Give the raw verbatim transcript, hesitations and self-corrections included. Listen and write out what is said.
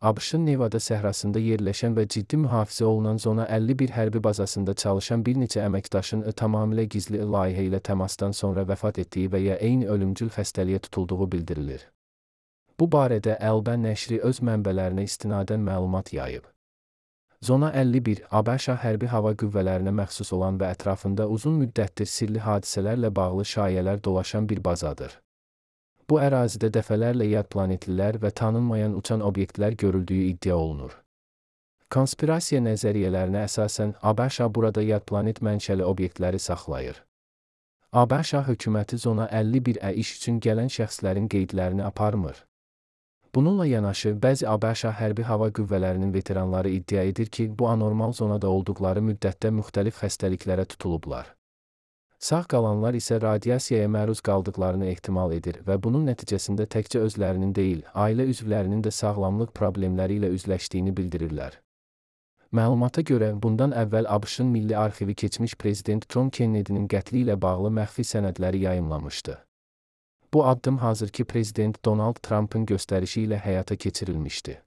ABŞ-ın Nevada səhrasında yerləşən və ciddi mühafizə olunan Zona əlli bir hərbi bazasında çalışan bir neçə əməkdaşın tamamilə gizli layihə ilə təmasdan sonra vəfat etdiyi və ya eyni ölümcül xəstəliyə tutulduğu bildirilir. Bu barədə Əlbə nəşri öz mənbələrinə istinadən məlumat yayıb. Zona əlli bir ABŞ hərbi hava qüvvələrinə məxsus olan və ətrafında uzun müddətdir sirli hadisələrlə bağlı şayələr dolaşan bir bazadır. Bu ərazidə dəfələrlə yad planetlilər və tanınmayan uçan obyektlər görüldüyü iddia olunur. Konspirasiya nəzəriyyələrinə əsasən ABŞ burada yad planet mənşəli obyektləri saxlayır. ABŞ hökuməti Zona əlli bir ə iş üçün gələn şəxslərin qeydlərini aparmır. Bununla yanaşı, bəzi ABŞ hərbi hava qüvvələrinin veteranları iddia edir ki, bu anormal zonada olduqları müddətdə müxtəlif xəstəliklərə tutulublar. Sağ qalanlar isə radiasiyaya məruz qaldıqlarını ehtimal edir və bunun nəticəsində təkcə özlərinin deyil, ailə üzvlərinin də sağlamlıq problemləri ilə üzləşdiyini bildirirlər. Məlumata görə, bundan əvvəl ABŞ-ın Milli Arxivi keçmiş prezident John Kennedy'nin qətli ilə bağlı məxfi sənədləri yayımlamışdı. Bu addım hazırki prezident Donald Trump'ın göstərişi ilə həyata keçirilmişdi.